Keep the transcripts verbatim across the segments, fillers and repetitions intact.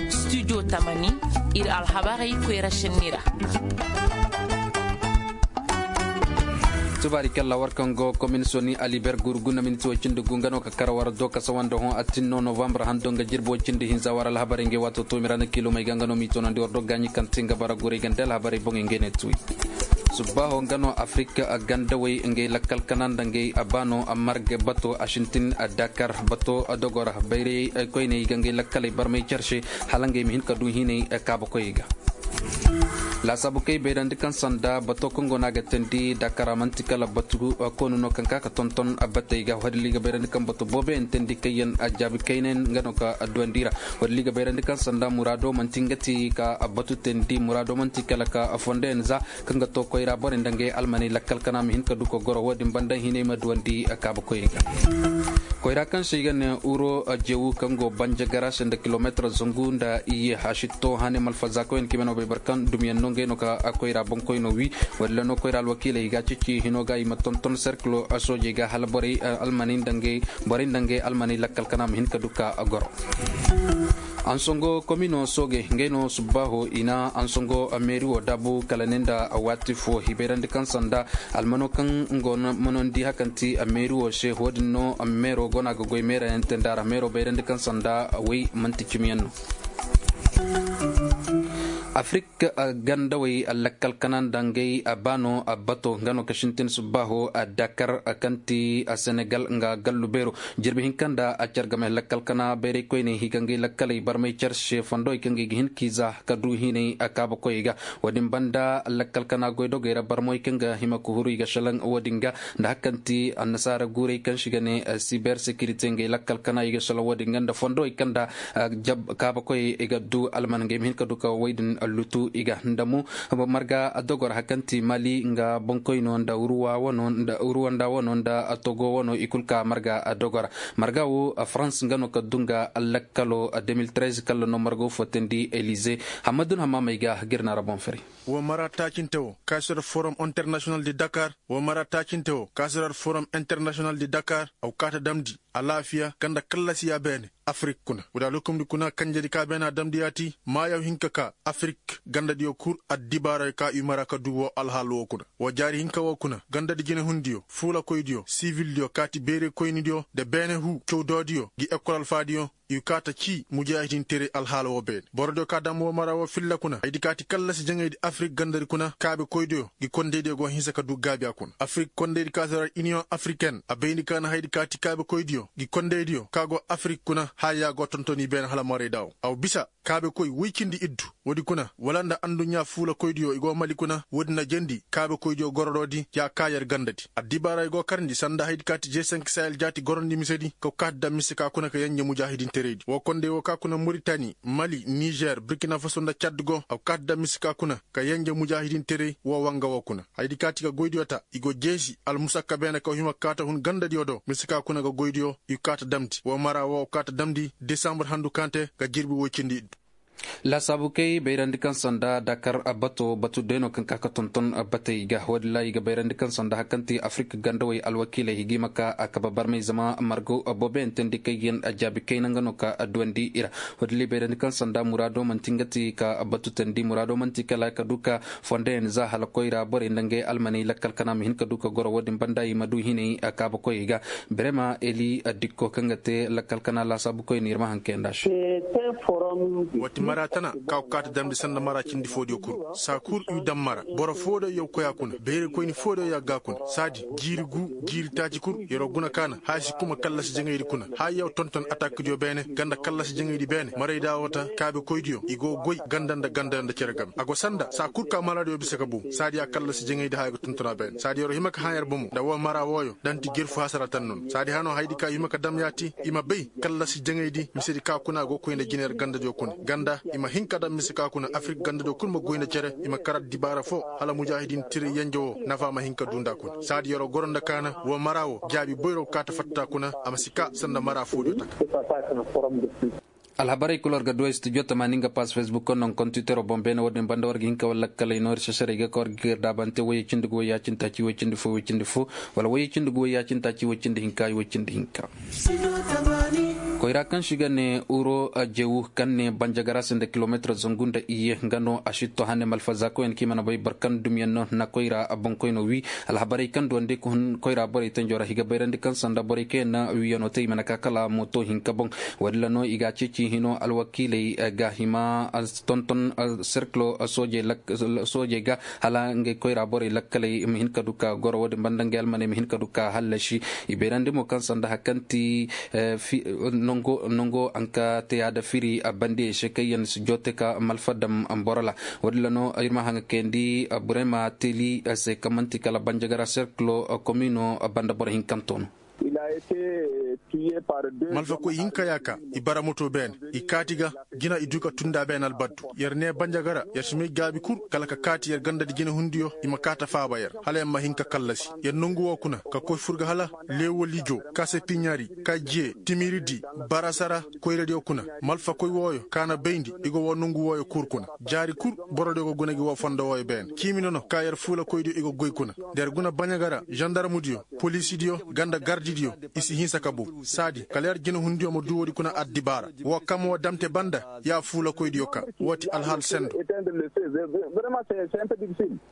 Studio tamani, ir alhabarey koyra senni ra. Tubaari kalla war kaŋ go komin soni aliber gurgu na minti way cindi gu nga no ka kar war do kasa wanda hõ attin no novambar hando nga jirbi way cindi hinza war alhabarey ngey waato to mirana kilomey ga nga no m'i tonandi war do gaaɲi kaŋ te nga bara guray ganda alhabarey boŋey ngey ne tuy. Subbaho nga no afirika gandawey ngey lakkal kana nda ngey baano marga bato asintin dakar bato dogora bayrey koyney ga ngey lakkaley barmay care se hala ngey ma hin ka du hinay kaabakoyey ga. Laasaabu kay bayrandi kaŋ sanda bato kaŋ go no a ga teendi dakar a man'ti kala batu koonu no kaŋ ka ka tonton batey ga wadilli ga bayrandi kaŋ batu booboyaŋ teendi kayyaŋ jaabi kaynayaŋ nga no ka duwandi ra. Wadilli ga bayrandi kaŋ sanda muraado man'ti nga ti ka batu teendi muraado man'ti kala ka fondoyaŋ za kaŋ ga to koyra borey nda ngey almaney lakkal kana ma hin ka du ka goro wo-din banda hinay ma duwandi kaabakoyey ga. Koyra kaŋ se i ga ne uro jewu kaŋ go banja gara se nda kilomeetar zangu nda iyye haasi to hane malfazakoyaŋ kaŋ i ma no bay boro kaŋ dumiyaŋ no ngey no ka koyra boŋkoyno wi. Walla no koyra alwakiiley i ga a ceeci hino ga i ma tonton serkilo soojey ga hala borey almaney nda ngey borey nda ngey almaney lakkal kana ma hin ka du ka goro. Ansongo komino soogey ngey no subbaaho i na ansongo meeri wo daabu kala ne nda waati fo i bayrandi kaŋ sanda almano kaŋ nga no manondi hakanti meeri wo se wo-din no meero go no a ga goy meerayaŋ te nda ra meero bayrandi kaŋ sanda way man'ti cimiyaŋ no. Afirik gandawey lakkal kana nda ngey baano bato nga no ka sintin subbaaho dakar kaŋ ti senegal nga gallu beero. Jirbi hinka nda a care game lakkal kana bayray koyney i ga ngey lakkaley barmay care se fondowey kaŋ ga i ga hin k'i za ka du hinay kaabakoyey ga. Wo-din banda lakkal kana goydogey ra barmoy kaŋ ga hima ka huru i ga salaŋ wo-din ga nda hari kaŋ ti annasaara guuray kaŋ se i ga ne siber sekirite ngey lakkal kana i ga salaŋ wo-din ga nda fondowey kaŋ nda kaabakoyey i ga du alman ngey ma hin ka du ka wey din lutu i ga nda mo marga dogor hari kaŋ ti mali nga boŋkoyno nda ruwanda wano nda togo wano i kulu ka marga dogora. Marga wo farans nga no ka du nga lakkalo de mil trez kala no margo fo teendi elize. Hamadun hamamey ga girna ra boŋ fari. Wo mara taacinte wo kaasirar forum international de dakar wo mara taacinte wo kaasirar forum international de dakar. Aw kaata damndi alaafiya ganda kallasiya beene afirik kuna wala lokomdi kuna kanjedi ka beena damndi yaati maayaw hinka ka afirik gandadiyo kul addibaarayo ka i mara ka du wo alhaal wo kuna. Wa jaari hinka wo kuna gandadi jinehundiyo fuulakoydiyo sivildiyo kaati beerekoynidiyo nda beene huu cawdoodiyo ngi ekol alfaadiyo. I kaata cii mujaahidinteray alhaala wo beene borodiyo ka dam wo mara wo filla kuna haydi kaati kallasi jaŋaydi afirik gandadi kuna kaabekoydiyo ngi kondeydiyo go hinsa ka du gaabi a kuna afirik kondeydi ka si ra iniyoŋ afiriken a bayndi ka na haydi kaati kaabekoydiyo ngi kondeydiyo ka go afirik kuna haya go tontoni beene hala marayda wo aw bisa kaabekoy woy cindi iddu. Woodi kuna wala nda anduɲɲa fuulakoydiyo i go mali kuna woodi na jendi kaabekoydiyo gorodoodi ya ka yer gandadi addibaara i go karndi sanda haydi kaati je senk sahel jaati gorondi misedi ka kaati daŋ mise ka kuna ka yenje mujaahidintereydi wo kondey wo ka kuna muritani mali nizer burkina faso nda cad go a kaati daŋ mise ka kuna ka yenje mujaahidinterey wo wanga wo kuna haydi kaati ka goydiyo ta i go jeesi almusakka beene ka hima kaata hun gandadiyo do mise ka kuna ga goydiyo i kaata damndi wo mara wo kaata damndi desambur handu kaŋ te ga jirbi woy cindi iddu. Laasaabu kay bayrandi kaŋ sanda dakar bato batu day no kaŋ ka ka tonton batey ga woodin ra i ga bayrandi kaŋ sanda hari kaŋ ti afirik gandawey alwakiiley i ga hima ka a kabe barmey zama margo booboyaŋ teendi kay ga yaŋ a jaabi kayna nga no ka a duwandi i ra. Woodin ra i bayrandi kaŋ sanda muraado man'ti nga ti ka batu teendi muraado man'ti kala ka du ka fondoyaŋ za hala koyra borey nda ngey almaney lakkal kana ma hin ka du ka goro woodin banda i ma du hinay kaabakoyey ga. Birema eli dikko kaŋ ga te lakkal kana laasaabukoy no ir ma hankayanda se. Wati mara tana ka go kaati damndi sanda mara cindi foodiyo kul saa kul i daŋ mara boro foodiyo yaw koy a kuna bayray koyni foodiyo ya ga a kuna saadi jiiri gu jiiri taaci kul yer'o guna kaana haya si kuma kallasi jaŋaydi kuna haya yaw tonton atakdiyo beene ganda kallasi jaŋaydi beene marayda wo ta kaabekoydiyo i go goy ganda nda ganda nda cere game a go sanda saa kul ka maradiyo bisa ka bow saadi ya kallasi jaŋaydi haya ga tonton a beene saadi yer'o hima ka hã yer bomo nda woo mara wooyo da nti jerfu hasara tan noon saadi hano hayadi ka i hima ka dam yaati i ma bay kallasi jaŋaydi misedi ka kuna go koy nda jina yer gandadiyo kuna ganda i ma hin ka dam mise ka kuna afirik gandadiyo kul ma goy nda cere i ma kar addibaara foo hala mujaahidin tiri yenje woo nafa ma hin ka duu nda kuna saadi yer'o goro nda kaana woo mara woo jaabi boyro kaata fatta kuna a ma si ka sanda mara foodiyo taka. Alhabarey kul war ga du ay studio tamaani nga pass facebook konno nga kontiwitero boŋ beene woodin banda war ga hin ka walla kalay noori sesarey ga ka war ga gir daabante woyey cindi ga woy yaacintaaci woy cindi fo woy cindi fo wala woyey cindi ga woy yaacintaaci woy cindi hinka woy cindi hinka. Koyra kaŋ si ga ne uro jewu kaŋ ne banjagara se nda kilometir zangu nda iyye nga no a si to hane malfazakoyaŋ kaŋ i mana bay boro kaŋ dumyaŋ no na koyra boŋkoyno wi. Alhabarey kaŋ duwandi koyra borey tanjo ra i ga bayrandi kaŋ sanda borey kaŋ yaŋ na wiyaŋo te i mana ka kala mooto hinka boŋ. Woodin ra no i ga a ceeci hino alwakiiley ga hima tonton serkilo soojey ga hala ngey koyra borey lakkaley i ma hin ka du ka goro woodin banda ngey almaney ma hin ka du ka hallasi. I bayrandi mo kaŋ sanda hari kaŋ ti nango nango a nka te yaada firi bandiyey se kaŋ yaŋ si joote ka malfa dam boro ra. Woodin ra no ir ma haŋa kayandi burema teli se kaŋ man'ti kala banjagara serkilo komino banda boro hinkanto no. Malfakoy hinka ya ka i bara moto beene i kaati ga jina i du ka tunda beene albaddu yer ne banjagara yer si may gaabi kul kala ka kaati yer ganda di jinahundiyo i ma kaata faaba yer hala yer ma hin ka kallasi yer nongu woo kuna ka koy fur ga hala leewolijo kaasepiɲari kaajiye timiridi barasara koyradiyo kuna malfakoy wooyo ka na bayndi i go woo nongu wooyo kul kuna jaari kul borodiyo go guna gi woo fondo wooyo beene ciimi nono ka yer fuulakoydiyo i go goy kuna da yer guna banjagara zandarmudiyo poliisidiyo ganda gardidiyo i si hinsa ka bow saadi kala yer jinahundiyo ma du woodi kuna addibaara woo kam woo damte banda ya fuulakoydiyo ka woo ti alhaal sendo.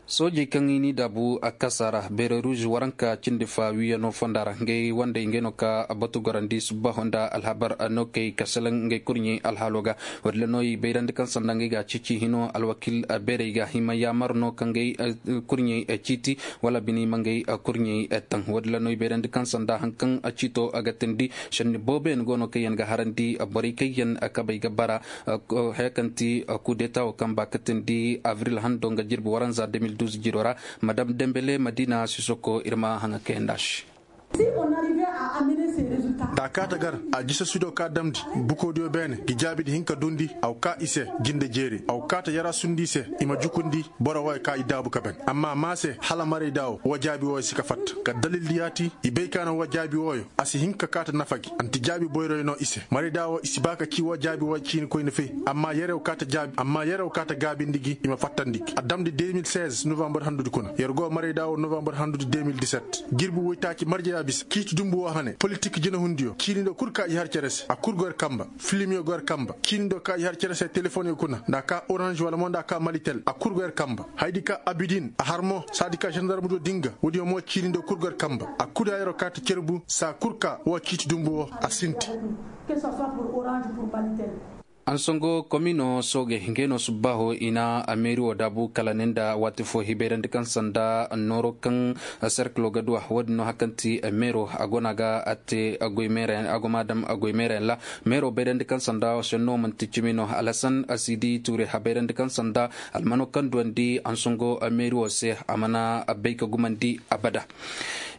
Soojey kaŋ i n'i daabu a kasa ra beere ruuz waranka cindi fa wiiyano fonda ra ngey wandey ngey no ka batu gorandi subbaho nda alhabar no kay ka selaŋ ngey kurɲey alhaalo ga. Woodin ra no i bayrandi kaŋ sanda ngey ga a ceeci hino alwakiil beerey ga hima yaamar no ka ngey kurɲey ciiti wala bini ma ngey kurɲey taŋ woodin ra no i bayrandi kaŋ sanda hari kaŋ ciito ga teendi senni booboyaŋ go no kaŋ yaŋ ga harandi borey kaŋ yaŋ kabey ga bara haya kaŋ ti kudeta wo kaŋ ba ka teendi abril hando nga jirbi waranza deux mille douze jiro ra madam dembele madina sisoko ir ma haŋa kayandi a se. Da a kaata gar a jisasudiyo ka damndi bukoodiyo beene gi jaabi di hin ka duundi a go kaa i se jinde jeeri a go kaata yaraasundi i se i ma jukundi boro wooyo ka i daabu ka ben amma maa se hala marayda wo woo jaabi wooyo si ka fatta ka dalildi yaati i bay ka na woo jaabi wooyo a si hin ka kaata nafa gi a nti jaabi boyroyo no i se marayda wo i si ba ka ci woo jaabi wooyo ciini koyne fay amma yerew kaata jaabi amma yerew kaata gaabindi gi i ma fattandi gi a damndi deux mille seize novambar handudi kuna yer go marayda wo novambar handudi deux mille dix-sept jirbi woytaaci marjaya bisa ciiti dumbu woo hane politik jinahundiyo ciini nda kul ka i har cere se a kul go yer kamba filimiyo go yer kamba ciini ndo ka i har cere se telefoŋyo kuna nda a ka oranž wala mo nda a ka malitel a kul go yer kamba hayadi ka abidin a har mo saadi ka zandarmudiyo din ga woodiyo mo ciini ndo kul go yer kamba a kul ya yeroo kaata cerbu saa kul ka woo ciiti dumbu woo a sinti. Ansongo komino sooge ngey no subbaaho i na meeri wo daabu kala ne nda waati fo hibayrandi kaŋ sanda nooro kaŋ serkilo ga duwa woodin no hari kaŋ ti meero a go no a ga a te a goy meerayaŋ a go ma a daŋ a goy meerayaŋ ra. Meero bayrandi kaŋ sanda senno man'ti cimi no alhasan a si di tuure habayrandi kaŋ sanda almano kaŋ duwandi ansongo meeri wo se a mana bay ka gumandi abada.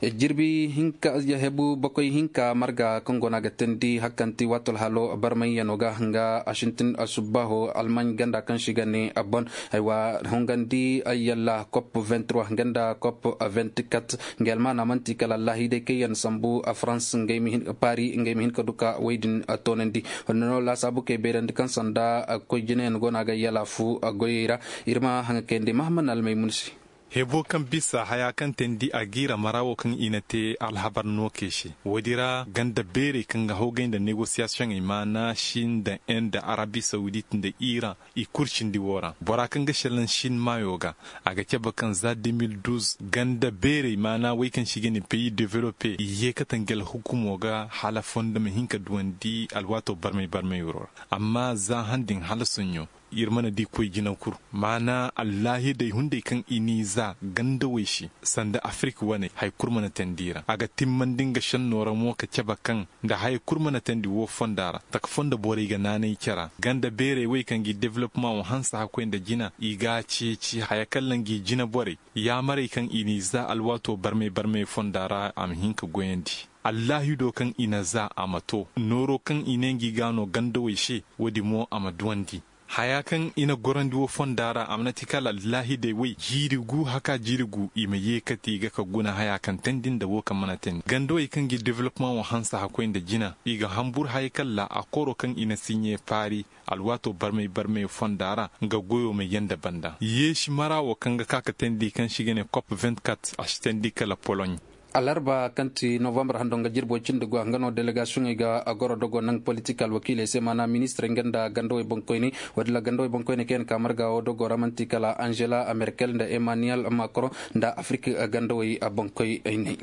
Jirbi hinka hebu bakoy hinka marga kaŋ go no a ga teendi hari kaŋ ti waato alhaalo barmayyano ga nga a sintin subbaaho almaɲ ganda kaŋ se i ga ne bon. Aywa hongandi yalla kop vingt trois nga nda kop vingt quatre. Ngey almaana man'ti kala allahidey kaŋ yaŋ sambu farans ngey ma hin paari ngey ma hin ka du ka wey din toonandi. Wala no laasaabu kay bayrandi kaŋ sanda koy jinayaŋ go no a ga yalaafu goyey ra. Ir ma haŋa kayandi mahamman almaymun se. Hebo kaŋ bisa haya kaŋ teendi a giira mara wo kaŋ i na te alhabar nookey se woodi ra ganda beerey kaŋ ga hawgay nda negosiyasiyoŋey maana si nda en nda arabi sawudit nda iran i kul cindi woo ra bora kaŋ ga šelaŋ sin maayo ga. A ga cabe kaŋ za deux mille douze ganda beerey maana wey kaŋ se i ga ne peyi develope i yeekate nga alhukumo ga hala fondo ma hin ka duwandi alwaato barmay barmay wuro ra. Amma za han din hala soɲõ ir mana di koy jina kul maana allahidey hunday kaŋ i n'i za gandawey se sanda afirik waney haya kul mana teendi i ra a ga timmandi nga šennoo ra mo ka cabe kaŋ nda haya kul mana teendi woo fonda ra taka fondo borey ga naanay cara ganda beerey wey kaŋ gi developmaŋo hanse hakkoy nda jina i g'a ceeci haya kaŋ ra ngi jina borey yaamarey kaŋ i n'i za alwaatoo barmey barmey fonda ra a ma hin ka goyandi. Allahidoo kaŋ i na za a ma too nooroo kaŋ i ne ngi g'a noo gandawey se woodi mo a ma duwandi. Hayaa kaŋ i na gorandi woo fondaa ra a mana ti kala allahidey wey jiiri gu haka jiiri gu i ma yeekati ga ka guna hayaa kaŋ teendi nda woo kaŋ mana teendi gandawey kaŋ gi developmaŋo hanse hakkoy nda jina i ga hanbur hayey kaŋ ra akooroo kaŋ i na siɲee paari alwaatoo barmay barmay fondaa ra nga goyoo ma yee nda banda yeesi maraa woo kaŋ ga ka ka teendi kaŋ se i ga ne kop vingt-quatre a si teendi kala poloɲ. Alarba kaŋ ti novambar hando nga jirbo cindi go nga no delegasiyoŋey ga goro dogo naŋ politik alwakiiley se maana ministirey nga nda gandawey boŋkoyney. Walla gandawey boŋkoyney kaŋ yaŋ ka marga wo dogo ra manti kala angela merkel nda emmanuel macron nda afrik gandawey boŋkoyney.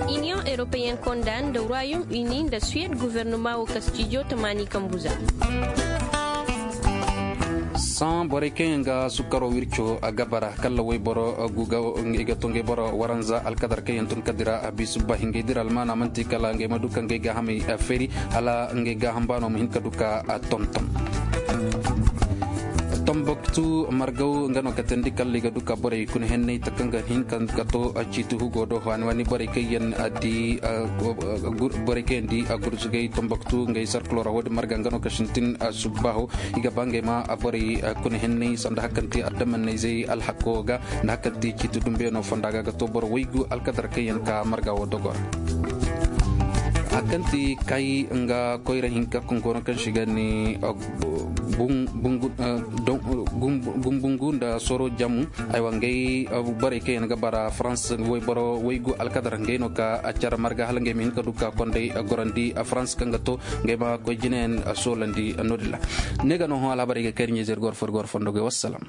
Iniyoŋ europeyen konda nda royaume uni nda suwed guvernuma wo ka stijo tamaani kambu za. Saŋ borey kaŋ yaŋ ga sukaro wirco a gabara kalla wayboro i ga to ngey boro waranza alkadar kaŋ yaŋ tun ka dira a bisu ba hingay dira almaana manti kala ngey ma du ka ngey gaahamey feeri hala ngey gaaham baano ma hin ka du ka tonton. Tomboktu margaw nga no ka teendi kalla i ga du ka borey kuna henney taka nga hin ka to ciiti hugo do waani waani borey kaŋ yaŋ di borey kaŋ yaŋ di gurzugay tomboktu ngey sarkulo ra wo- din marga nga no ka sintin subbaaho. I ga ba ngey ma borey kuna henney sanda hari kaŋ ti adamanney zey alhako ga nda hari kaŋ ti ciiti dumbeeno fonda ga ga to boro waygu alkadar kaŋ yaŋ ka marga wo dogo ra. Hari kaŋ ti kay nga koyra hinka kaŋ go no kaŋ si ga ne gumbungu nda soro jamu. Aywa ngey borey kaŋ yaŋ ga bara farans wayboro waygu alkadar ngey no ka care marga hala ngey ma hin ka du ka kondey gorandi farans kaŋ ga to ngey ma koy jinayaŋ soolandi no- din ra. Ne ga no hõ alhabarey ga kay ir ɲeezer goro fo ir goro fondo goy wassalam.